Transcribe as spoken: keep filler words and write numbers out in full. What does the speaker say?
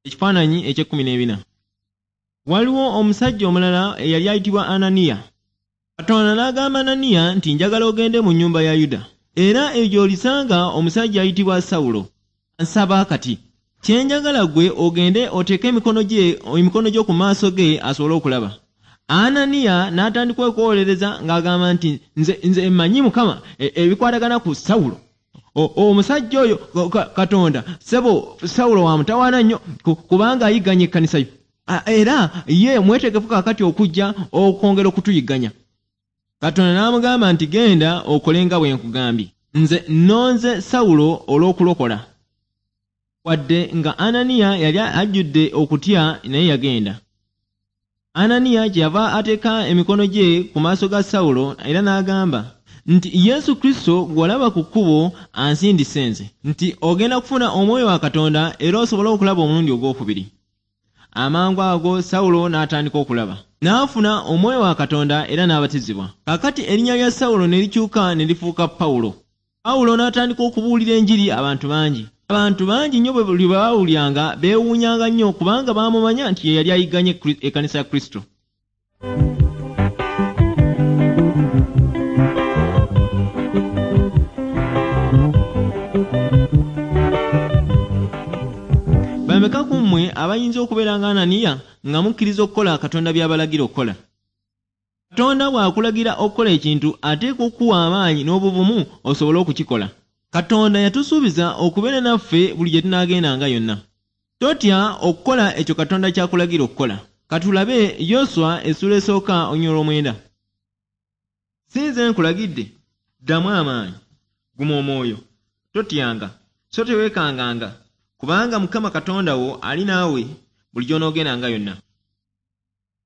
Ekifaananyi eky'ekkumi n'ebina. Waliwo omusajja omulala eyali ayitibwa Ananiya. Katonda n'agamba Ananiya nti njagala ogende mu nnyumba ya Yuda. Era eyo gy'olisanga omusajja ayitibwa Sawulo. Nsaba kati. Kye njagala ggwe ogende oteeke emikono gye emikono gyo ku maaso ge asobole okulaba. Ananiya n'atandika okwolereza ng'agamba nti nze nze mmanyi Mukama ebikwatagana ku Sawulo. Omusajja oyo Katonda ssebo Sawulo wa mutawaana nnyo kubanga ayigganya ekkanisa yo. Era ye mwetegefu kaakati okujja okwongera okutuyigganya. Katonda n'amugamba nti genda okole nga bwe nkugambye. Nze nnonze Sawulo olw'okulokola. Wadde nga Ananiya yali ajjudde okutya naye yagenda. Ananiya kyeyava ateeka emikono gye ku maaso ga Sawulo era n'agamba nti Yesu Kristo gw'olaba ku kkubo ansindise nze nti ogenda kufuna omwoyo wa Katonda era osobole okulaba omulundi ogwokubiri. Amangu ago Sawulo n'atandika okulaba. N'afuna omwoyo wa Katonda era n'abatizibwa. Kaakati erinnya lya Sawulo ne likyuka ne lifuuka Pawulo. Pawulo n'atandika okubuulira enjiri abantu bangi. Abantu bangi nnyo bwe buli baawulyanga beewuunyanga nnyo kubanga baamumanya nti ye yali ayigganye ekkanisa ya Kristo. Bameka ku mmwe abayinza okubeera nga Ananiya nga mukkiriza okukola Katonda by'abalagira okukola? Katonda bw'akulagira okukola ekintu ateekwa okukuwa amaanyi n'obuvumu osobole okukikola. Katonda yatusuubiza okubeera naffe buli gye tunaagendanga yonna. Totya okukola ekyo Katonda ky'akulagira okukola. Katulabe Yoswa essuula esooka olunyiriri olw'omwenda. Si nze nkulagidde, ddamu amaanyi, guma omwoyo, totyanga, so teweekanganga, kubanga Mukama Katonda wo ali naawe buli gy'onoogendanga yonna.